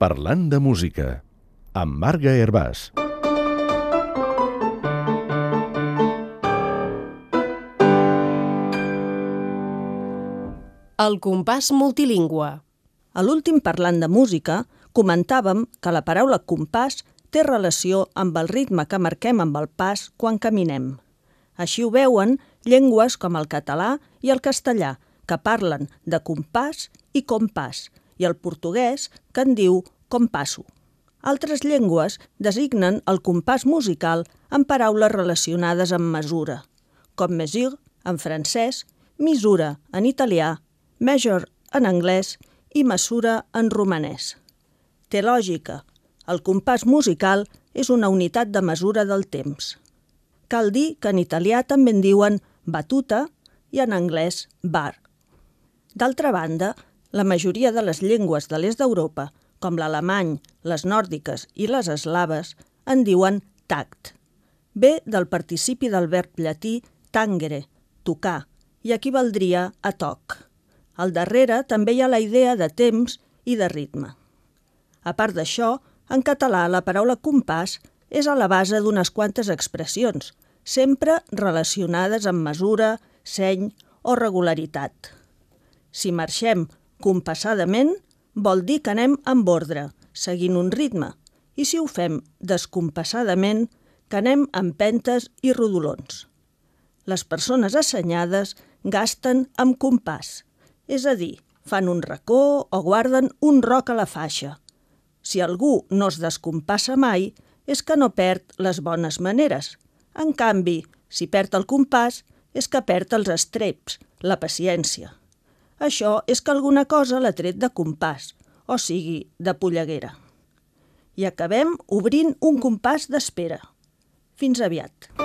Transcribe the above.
Parlant de música, amb Marga Hervàs. El compàs multilingüe. A l'últim Parlant de música comentàvem que la paraula compàs té relació amb el ritme que marquem amb el pas quan caminem. Així ho veuen llengües com el català i el castellà, que parlen de compàs i compàs, i el portuguès, que en diu compasso. Altres llengües designen el compàs musical amb paraules relacionades amb mesura, com mesure en francès, misura en italià, measure en anglès i mesura en romanès. Té lògica. El compàs musical és una unitat de mesura del temps. Cal dir que en italià també en diuen batuta i en anglès bar. D'altra banda, la majoria de les llengües de l'est d'Europa, com l'alemany, les nòrdiques i les eslaves, en diuen tact. Ve del participi del verb llatí tangere, tocar, i equivaldria a toc. Al darrere també hi ha la idea de temps i de ritme. A part d'això, en català la paraula compàs és a la base d'unes quantes expressions, sempre relacionades amb mesura, seny o regularitat. Si marxem compassadament, vol dir que anem amb ordre, seguint un ritme, i si ho fem descompassadament, que anem amb empentes i rodolons. Les persones assenyades gasten amb compàs, és a dir, fan un racó o guarden un roc a la faixa. Si algú no es descompassa mai, és que no perd les bones maneres. En canvi, si perd el compàs, és que perd els estreps, la paciència. Això és que alguna cosa l'ha tret de compàs, o sigui, de polleguera. I acabem obrint un compàs d'espera. Fins aviat.